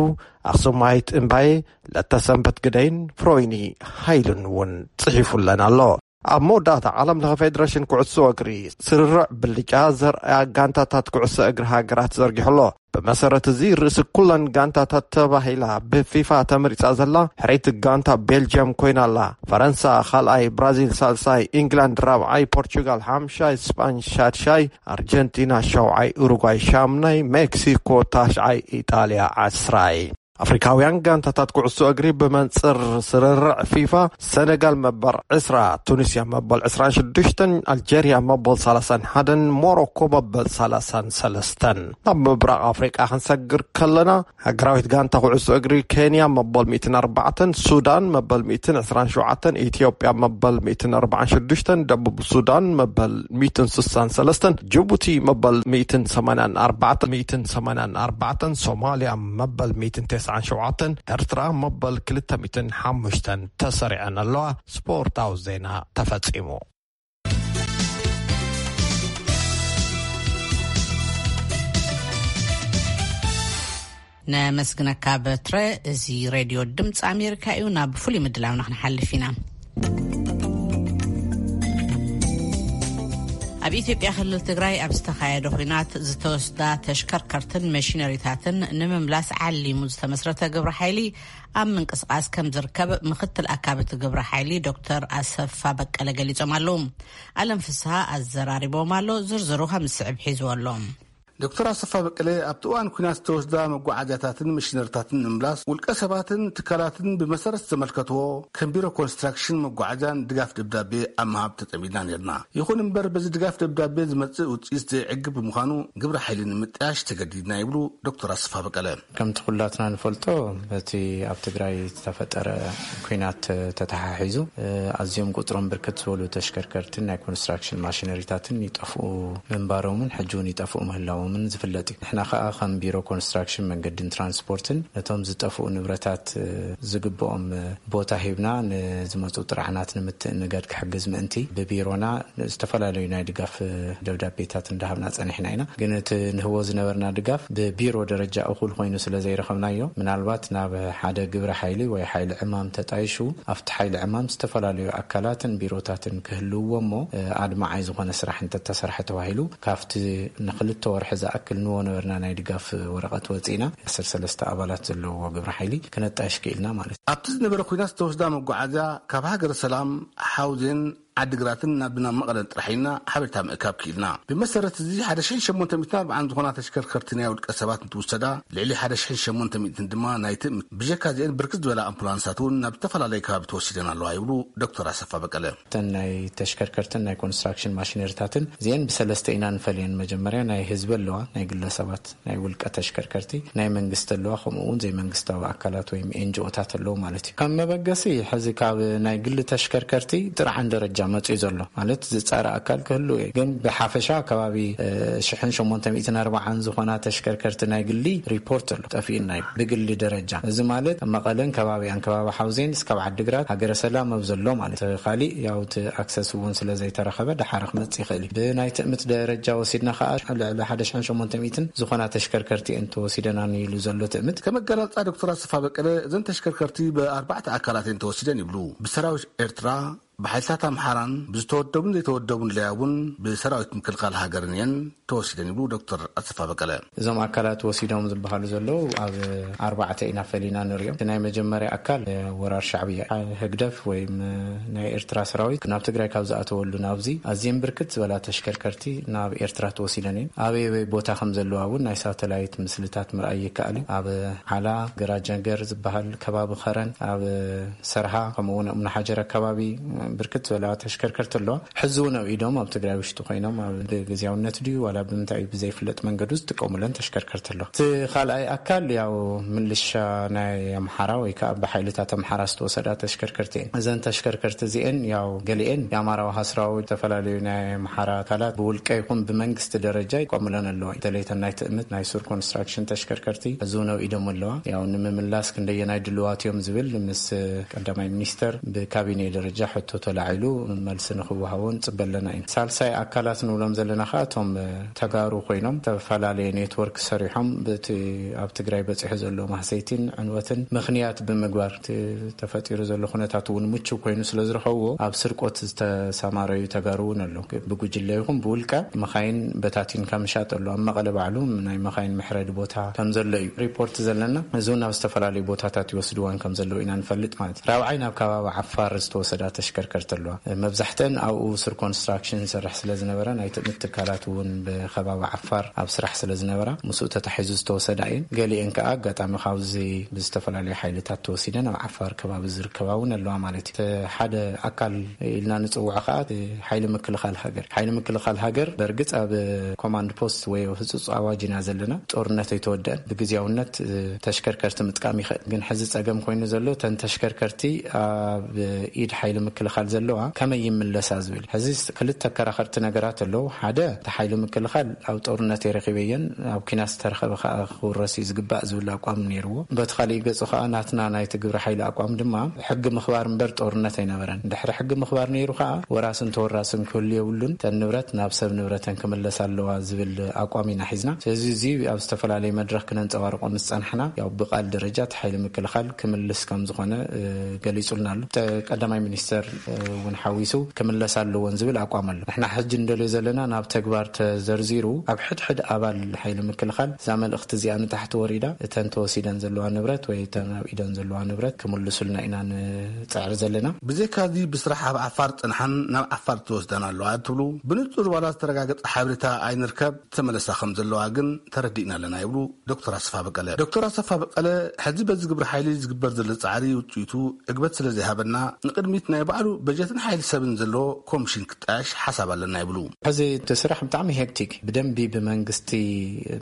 ኣኽሱማይት እምባዬ፣ ለተሰንበት ግደይን ፍሮይኒ ሃይሉን እውን ጽሒፉለን ኣሎ። ኣብ መወዳእታ ዓለም ለኸ ፌዴሬሽን ኩዕሶ እግሪ ስርርዕ ብልጫ ዘርኣያ ጋንታታት ኩዕሶ እግሪ ሃገራት ዘርጊሑ ኣሎ። ብመሰረት እዚ ርእሲ ኩለን ጋንታታት ተባሂላ ብፊፋ ተመሪጻ ዘላ ሕረይቲ ጋንታ ቤልጅየም ኮይና ኣላ። ፈረንሳ ካልኣይ፣ ብራዚል ሳልሳይ፣ ኢንግላንድ ራብዓይ፣ ፖርቹጋል ሓምሻይ፣ ስጳኝ ሻድሻይ፣ ኣርጀንቲና ሸውዓይ፣ ኡሩጓይ ሻምናይ፣ ሜክሲኮ ታሽዓይ፣ ኢጣልያ ዓስራይ። ኣፍሪካውያን ጋንታታት ኩዕሶ እግሪ ብመንጽር ስርርዕ ፊፋ፣ ሰነጋል መበል ዕስራ፣ ቱኒስያ መበል ዕስራን ሽዱሽተን፣ ኣልጀርያ መበል ሰላሳን ሓደን፣ ሞሮኮ መበል ሰላሳን ሰለስተን። ናብ ምብራቕ ኣፍሪቃ ክንሰግር ከለና፣ ሃገራዊት ጋንታ ኩዕሶ እግሪ ኬንያ መበል ሚእትን ኣርባዕተን፣ ሱዳን መበል ሚእትን ዕስራን ሸውዓተን፣ ኢትዮጵያ መበል ሚእትን ኣርባዓን ሽዱሽተን፣ ደቡብ ሱዳን መበል ሚእትን ስሳን ሰለስተን፣ ጅቡቲ መበል ሚእትን ሰማንያን ኣርባዕተን፣ ሚእትን ሰማንያን ኣርባዕተን፣ ሶማልያ መበል ሚእትን ተስዓን ሸውዓተን፣ ኤርትራ መበል ክልተ ሚእትን ሓሙሽተን ተሰሪዐን ኣለዋ። ስፖርታዊ ዜና ተፈጺሙ። ነመስግነካ በትረ። እዚ ሬድዮ ድምፂ ኣሜሪካ እዩ። ናብ ፍሉይ ምድላውና ክንሓልፍ ኢና። ኣብ ኢትዮጵያ ክልል ትግራይ ኣብ ዝተኻየደ ኲናት ዝተወስዳ ተሽከርከርትን መሽነሪታትን ንምምላስ ዓሊሙ ዝተመስረተ ግብረ ሓይሊ ኣብ ምንቅስቓስ ከም ዝርከብ ምክትል ኣካቢ እቲ ግብረ ሓይሊ ዶክተር ኣሰፋ በቀለ ገሊጾም ኣለዉ። ኣለም ፍስሃ ኣዘራሪቦም ኣሎ። ዝርዝሩ ከም ዝስዕብ ሒዝዎ ኣሎ። ዶክተር ኣሰፋ በቀለ ኣብቲ እዋን ኲናት ዝተወስዳ መጓዓዝያታትን መሽነሪታትን ንምምላስ ውልቀ ሰባትን ትካላትን ብመሰረት ዝተመልከትዎ ከም ቢሮ ኮንስትራክሽን መጓዓዝያን ድጋፍ ደብዳቤ ኣብ ምሃብ ተጸሚድና ነርና። ይኹን እምበር በዚ ድጋፍ ደብዳቤ ዝመጽእ ውጽኢት ዘይዕግብ ብምዃኑ ግብረ ሓይሊ ንምጥያሽ ተገዲድና ይብሉ ዶክተር ኣሰፋ በቀለ። ከምቲ ኩላትና ንፈልጦ በቲ ኣብ ትግራይ ዝተፈጠረ ኲናት ተተሓሒዙ ኣዝዮም ቁጽሮም ብርክት ዝበሉ ተሽከርከርትን ናይ ኮንስትራክሽን ማሽነሪታትን ይጠፍኡ ምንባሮምን ሕጂ እውን ይጠፍኡ ምህላዎምን ዝፍለጥ እዩ። ንሕና ከኣ ከም ቢሮ ኮንስትራክሽን መንገድን ትራንስፖርትን ነቶም ዝጠፍኡ ንብረታት ዝግብኦም ቦታ ሂብና ንዝመፁ ጥርዓናት ንምትእንጋድ ክሕግዝ ምእንቲ ብቢሮና ዝተፈላለዩ ናይ ድጋፍ ደብዳቤታት እንዳሃብና ጸኒሕና ኢና። ግን እቲ ንህቦ ዝነበርና ድጋፍ ብቢሮ ደረጃ እኹል ኮይኑ ስለ ዘይረኸብናዮ፣ ምናልባት ናብ ሓደ ግብረ ሓይሊ ወይ ሓይሊ ዕማም ተጣይሹ ኣብቲ ሓይሊ ዕማም ዝተፈላለዩ ኣካላትን ቢሮታትን ክህልውዎ እሞ፣ ኣድማዓይ ዝኾነ ስራሕ እንተተሰርሐ ተባሂሉ ካብቲ ንክልተ ወርሒ ዝኣክል ንዎ ነበርና ናይ ድጋፍ ወረቐት ወፂና ዓሰርተ ሰለስተ ኣባላት ዘለዎ ግብረ ሓይሊ ክነጣይሽ ክኢልና ማለት እዩ። ኣብቲ ዝነበረ ኲናት ዝተወስዳ መጓዓዝያ ካብ ሃገረ ሰላም፣ ሓውዜን፣ ዓዲግራትን ናብ ናብ መቐለን ጥራሕ ኢና ሓበሬታ ምእካብ ክኢልና። ብመሰረት እዚ ሓደ ሽሕን ሸሞንተ ሚእትን ኣርባዓን ዝኾና ተሽከርከርቲ ናይ ውልቀ ሰባት እንትውሰዳ፣ ልዕሊ ሓደ ሽሕን ሸሞንተ ሚእትን ድማ ናይ ትእምት። ብጀካ እዚአን ብርክት ዝበላ ኣምቡላንሳት እውን ናብ ዝተፈላለዩ ከባቢ ተወሲደን ኣለዋ ይብሉ ዶክተር ኣሰፋ በቀለ። እተን ናይ ተሽከርከርትን ናይ ኮንስትራክሽን ማሽነሪታትን እዚአን ብሰለስተ ኢና ንፈልየን። መጀመርያ ናይ ህዝቢ ኣለዋ፣ ናይ ግለሰባት ናይ ውልቀ ተሽከርከርቲ፣ ናይ መንግስቲ ኣለዋ፣ ከምኡ እውን ዘይመንግስታዊ ኣካላት ወይም ኤንጂኦታት ኣለዉ ማለት እዩ። ከም መበገሲ ሕዚ ካብ ናይ ግሊ ተሽከርከርቲ ጥርዓን ደረጃ መፅኡ ዘሎ ማለት ዝፃረ ኣካል ክህሉ እዩ። ግን ብሓፈሻ ከባቢ ሽሕን ሸሞንተ ሚእትን ኣርባዓን ዝኾና ተሽከርከርቲ ናይ ግሊ ሪፖርት ኣሎ ጠፊእና እዩ ብግሊ ደረጃ። እዚ ማለት መቐለን ከባቢያን ከባቢ ሓውዜን እስካብ ዓዲግራት ሃገረ ሰላም ኣብ ዘሎ ማለት ካሊእ ያው እቲ ኣክሰስ እውን ስለ ዘይተረኸበ ደሓር ክመፅእ ይኽእል እዩ። ብናይ ትእምት ደረጃ ወሲድና ከዓ ልዕሊ ሓደ ሽሕን ሸሞንተ ሚእትን ዝኾና ተሽከርከርቲ እየን ተወሲደናን ኢሉ ዘሎ ትእምት። ከም ኣገላልፃ ዶክተር ኣሰፋ በቀለ፣ እዘን ተሽከርከርቲ ብኣርባዕተ ኣካላት እየን ተወሲደን ይብሉ። ብሰራዊት ኤርትራ፣ ብሓይልታት ኣምሓራን ብዝተወደቡን ዘይተወደቡን ለያ እውን ብሰራዊት ምክልኻል ሃገርን እየን ተወሲደን ይብሉ ዶክተር ኣሰፋ በቀለ። እዞም ኣካላት ወሲዶም ዝበሃሉ ዘለዉ ኣብ ኣርባዕተ ኢና ፈሊና ንሪኦም። እቲ ናይ መጀመርያ ኣካል ወራር ሻዕብያ፣ ህግደፍ ወይም ናይ ኤርትራ ሰራዊት ናብ ትግራይ ካብ ዝኣተወሉ ናብዚ ኣዝየን ብርክት ዝበላ ተሽከርከርቲ ናብ ኤርትራ ተወሲደን እየን። ኣበይ ኣበይ ቦታ ከም ዘለዋ እውን ናይ ሳተላይት ምስልታት ምርኣይ ይከኣል እዩ። ኣብ ዓላ፣ ገራጀንገር ዝበሃል ከባቢ፣ ከረን፣ ኣብ ሰርሃ፣ ከምኡ እውን እምኒ ሓጀር ኣካባቢ ብርክት ዝበላ ተሽከርከርቲ ኣለዋ። ሕዚ እውን ኣብ ኢዶም ኣብ ትግራይ ውሽጢ ኮይኖም ኣብ ብግዝያውነት ድዩ ዋላ ብምንታይ እዩ ብዘይፍለጥ መንገዱ ዝጥቀሙለን ተሽከርከርቲ ኣለዋ። እቲ ካልኣይ ኣካል ያው ምልሻ ናይ ኣምሓራ ወይ ከዓ ብሓይልታት ኣምሓራ ዝተወሰዳ ተሽከርከርቲ እየን። እዘን ተሽከርከርቲ እዚአን ያው ገሊአን የኣማራ ውሃ ሰራዊት፣ ዝተፈላለዩ ናይ ኣምሓራ ኣካላት ብውልቀ ይኹን ብመንግስቲ ደረጃ ይቆምለን ኣለዋ። በተለይ እተን ናይ ትእምት ናይ ሱር ኮንስትራክሽን ተሽከርከርቲ ሕዚ እውን ኣብ ኢዶም ኣለዋ። ያው ንምምላስ ክንደየናይ ድልዋት እዮም ዝብል ምስ ቀዳማይ ሚኒስተር ብካቢኔ ደረጃ ሕቶ ተላዒሉ መልሲ ንክወሃቦ ንፅበ ኣለና ኢና። ሳልሳይ ኣካላት ንብሎም ዘለና ከዓ እቶም ተጋሩ ኮይኖም ዝተፈላለየ ኔትወርክ ሰሪሖም በቲ ኣብ ትግራይ በፂሑ ዘሎ ማህሰይቲን ዕንወትን ምኽንያት ብምግባር እቲ ተፈጢሩ ዘሎ ኩነታት እውን ምቹው ኮይኑ ስለ ዝረኸብዎ ኣብ ስርቆት ዝተሰማረዩ ተጋሩ እውን ኣለዉ። ብጉጅለ ይኹን ብውልቀ መኻይን በታቲንካ ምሻጥ ኣሎ። ኣብ መቐለ ባዕሉ ናይ መኻይን መሕረዲ ቦታ ከም ዘሎ እዩ ሪፖርት ዘለና። እዚ እውን ናብ ዝተፈላለዩ ቦታታት ይወስድዋን ከም ዘለዉ ኢና ንፈልጥ ማለት እዩ። ራብዓይ ናብ ከባቢ ዓፋር ዝተወሰዳ ተሽከርከርቲ ኣለዋ። መብዛሕተን ኣብኡ ስር ኮንስትራክሽን ዝሰርሕ ስለ ዝነበረ ናይ ትእምት ትካላት እውን ብከባቢ ዓፋር ኣብ ስራሕ ስለ ዝነበራ ምስኡ ተታሒዙ ዝተወሰዳ እየን። ገሊአን ከዓ ኣጋጣሚ ካብዚ ብዝተፈላለዩ ሓይልታት ተወሲደን ኣብ ዓፋር ከባቢ ዝርከባ እውን ኣለዋ ማለት እዩ። እቲ ሓደ ኣካል ኢልና ንፅውዖ ከዓ እቲ ሓይሊ ምክልኻል ሃገር። ሓይሊ ምክልኻል ሃገር በእርግፅ ኣብ ኮማንድ ፖስት ወይ ህፁፅ ኣዋጅ ኢና ዘለና። ጦርነት ኣይተወደአን። ብግዝያውነት ተሽከርከርቲ ምጥቃም ይኽእል። ግን ሕዚ ፀገም ኮይኑ ዘሎ እተን ተሽከርከርቲ ኣብ ኢድ ሓይሊ ምክልኻል ዘለዋ ከመይ ይምለሳ ዝብል። ሕዚ ክልተ ኣከራኸርቲ ነገራት ኣለዉ። ሓደ እቲ ሓይሊ ምክልኻል ኣብ ጦርነት የረኺበየን ኣብ ኪናት ዝተረኸበ ከዓ ክውረስ እዩ ዝግባእ ዝብል ኣቋም ነይርዎ። በቲ ካሊእ ገፁ ከዓ ናትና ናይቲ ግብረ ሓይሊ ኣቋም ድማ ሕጊ ምኽባር እምበር ጦርነት ኣይነበረን። ድሕሪ ሕጊ ምኽባር ነይሩ ከዓ ወራስን ተወራስን ክህሉ የብሉን። እተን ንብረት ናብ ሰብ ንብረተን ክምለስ ኣለዋ ዝብል ኣቋም ኢና ሒዝና። ስለዚ እዚ ኣብ ዝተፈላለየ መድረኽ ክነንፀባርቆ ምስ ፀናሕና ያው ብቃል ደረጃ እቲ ሓይሊ ምክልኻል ክምልስ ከም ዝኾነ ገሊፁልና ኣሎ። ቀዳማይ ሚኒስተር እውን ሓዊሱ ክምለስ ኣለዎን ዝብል ኣቋም ኣሎ። ንሕና ሕጂ እንደልዮ ዘለና ናብ ተግባር ተዘርዚሩ ኣብ ሕድሕድ ኣባል ሓይሊ ምክልኻል እዛ መልእኽቲ እዚኣ ንታሕቲ ወሪዳ እተን ተወሲደን ዘለዋ ንብረት ወይ እተን ኣብ ኢደን ዘለዋ ንብረት ክምልሱልና ኢና ንፅዕር ዘለና። ብዘይካዚ ብስራሕ ኣብ ዓፋር ፅንሓን ናብ ዓፋር ተወስዳን ኣለዋ ትብሉ ብንፁር ዋላ ዝተረጋገፀ ሓበሬታ ኣይንርከብ። ተመለሳ ከም ዘለዋ ግን ተረዲእና ኣለና ይብሉ ዶክተር ኣሰፋ በቀለ። ዶክተር ኣሰፋ በቀለ ሕዚ በዚ ግብረ ሓይሊ ዝግበር ዘሎ ፃዕሪ ውፅኢቱ ዕግበት ስለ ዘይሃበና ንቅድሚት ናይ ባዕሉ በጀትን ሓይሊ ሰብን ዘለዎ ኮሚሽን ክጣየሽ ሓሳብ ኣለና ይብሉ። ሕዚ እቲ ስራሕ ብጣዕሚ ሄክቲክ ብደንቢ ብመንግስቲ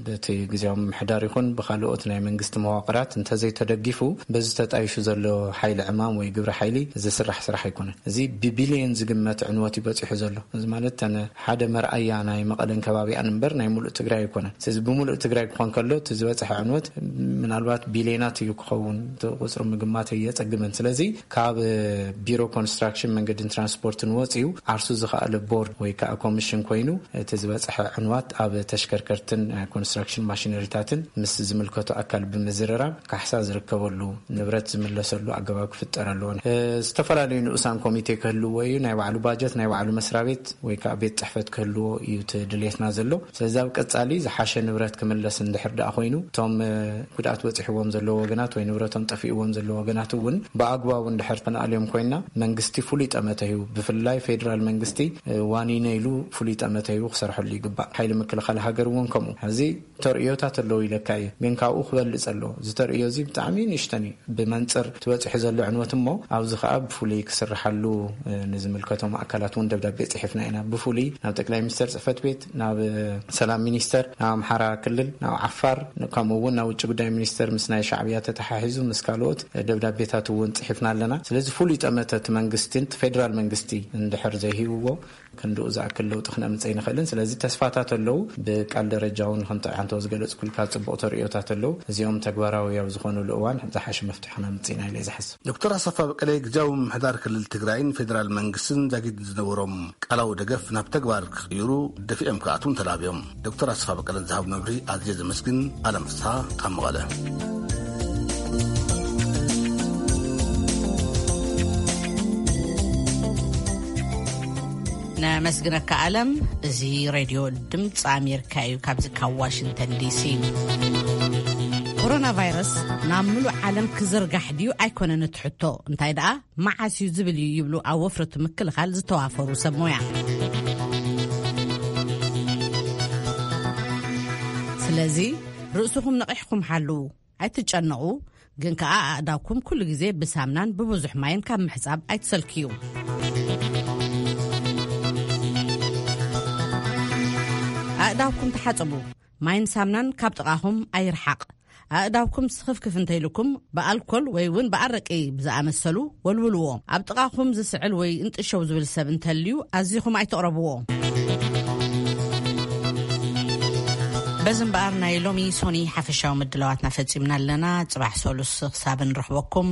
በቲ ግዜያዊ ምምሕዳር ይኹን ብካልኦት ናይ መንግስቲ መዋቅራት እንተዘይተደጊፉ በዚ ተጣይሹ ዘሎ ሓይሊ ዕማም ወይ ግብረ ሓይሊ ዝስራሕ ስራሕ ኣይኮነን። እዚ ብቢልየን ዝግመት ዕንወት እዩ በፂሑ ዘሎ። እዚ ማለት እተን ሓደ መርኣያ ናይ መቐለን ከባቢኣን እምበር ናይ ሙሉእ ትግራይ ኣይኮነን። ስለዚ ብሙሉእ ትግራይ ክኾን ከሎ እቲ ዝበፅሐ ዕንወት ምናልባት ቢልየናት እዩ ክኸውን። እቲ ቁፅሪ ምግማት የፀግመን። ስለዚ ካብ ቢሮ ኮንስትራክሽን መንገድን ትራንስፖርትን ወፂኡ ዓርሱ ዝኸኣለ ቦርድ ወይ ከዓ ኮሚሽን ኮይኑ እቲ ዝበፅሐ ዕንዋት ኣብ ተሽከርከርትን ኮንስትራክሽን ማሽነሪታትን ምስ ዝምልከቱ ኣካል ብምዝርራብ ካሕሳ ዝርከበሉ ንብረት ዝምለሰሉ ኣገባብ ክፍጠር ኣለዎ። ዝተፈላለዩ ንኡሳን ኮሚቴ ክህልዎ እዩ። ናይ ባዕሉ ባጀት ናይ ባዕሉ መስሪያ ቤት ወይ ከዓ ቤት ፅሕፈት ክህልዎ እዩ እቲ ድሌትና ዘሎ። ስለዚ ኣብ ቀፃሊ ዝሓሸ ንብረት ክምለስ እንድሕር ደኣ ኮይኑ እቶም ጉድኣት በፂሕዎም ዘለዎ ወገናት ወይ ንብረቶም ጠፊእዎም ዘለዎ ወገናት እውን ብኣግባቡ እንድሕር ተነኣልዮም ኮይና መንግስቲ ፍሉይ ጠመተ ሂቡ ብፍላይ ፌዴራል መንግስቲ ዋኒነ ኢሉ ፍሉይ ጠመተ ሂቡ ክሰርሐሉ ይግባእ። ሓይሊ ምክልኻል ሃገር እውን ከምኡ። ሕዚ ተርእዮታት ኣለዉ ኢለካ እየ፣ ግን ካብኡ ክበልፅ ኣለዎ። እዚ ተርእዮ እዚ ብጣዕሚ ንእሽተን እዩ ብመንፅር ትበፅሑ ዘሎ ዕንወት እሞ ኣብዚ ከዓ ብፍሉይ ክስርሓሉ ንዝምልከቶም ኣካላት እውን ደብዳቤ ፅሒፍና ኢና። ብፍሉይ ናብ ጠቅላይ ሚኒስተር ፅሕፈት ቤት፣ ናብ ሰላም ሚኒስተር፣ ናብ ኣምሓራ ክልል፣ ናብ ዓፋር፣ ከምኡ እውን ናብ ውጭ ጉዳይ ሚኒስተር ምስ ናይ ሻዕብያ ተተሓሒዙ ምስ ካልኦት ደብዳቤታት እውን ፅሒፍና ኣለና። ስለዚ ፍሉይ ጠመተ እቲ መንግስቲ ፌደራል መንግስቲ እንድሕር ዘይሂብዎ ክንድኡ ዝኣክል ለውጢ ክነምፅእ ኣይንኽእልን። ስለዚ ተስፋታት ኣለዉ። ብቃል ደረጃ እውን ከምቲ ሓንቶ ዝገለፅኩልካ ፅቡቕ ተርእዮታት ኣለዉ። እዚኦም ተግባራዊ ኣብ ዝኾኑሉ እዋን ዝሓሸ መፍትሒ ክነምፅእ ኢና ኢለ ዝሓስብ። ዶክተር ኣሰፋ በቀለ ግዝያዊ ምምሕዳር ክልል ትግራይን ፌደራል መንግስትን ዛጊድ ዝነበሮም ቃላዊ ደገፍ ናብ ተግባር ክቕይሩ ደፊኦም ክኣትውን ተላብዮም። ዶክተር ኣሰፋ በቀለ ዝሃቡ መብርሂ ኣዝየ ዘመስግን። ኣለም ፍስሓ ካብ መቐለ። ነመስግነካ ኣለም። እዚ ሬድዮ ድምፂ ኣሜሪካ እዩ፣ ካብዚ ካብ ዋሽንግተን ዲሲ። ኮሮና ቫይረስ ናብ ምሉእ ዓለም ክዝርጋሕ ድዩ ኣይኮነን እቲ ሕቶ፣ እንታይ ደኣ መዓስ እዩ ዝብል እዩ ይብሉ ኣብ ወፍረቱ ምክልኻል ዝተዋፈሩ ሰብ ሞያ። ስለዚ ርእስኹም ነቒሕኩም ሓልዉ። ኣይትጨነቑ፣ ግን ከኣ ኣእዳውኩም ኩሉ ግዜ ብሳምናን ብብዙሕ ማይን ካብ ምሕጻብ ኣይትሰልክዩ። ኣእዳውኩም ተሓጸቡ፣ ማይን ሳምናን ካብ ጥቓኹም ኣይርሓቕ። ኣእዳውኩም ስኽፍክፍ እንተይልኩም ብኣልኮል ወይ እውን ብኣረቂ ብዝኣመሰሉ ወልውልዎ። ኣብ ጥቓኹም ዝስዕል ወይ እንጥሸው ዝብል ሰብ እንተልዩ ኣዚኹም ኣይተቕረብዎ። በዚ እምበኣር ናይ ሎሚ ሶኒ ሓፈሻዊ ምድላዋትና ፈጺምና ኣለና። ጽባሕ ሰሉስ ክሳብ ንረኽበኩም፣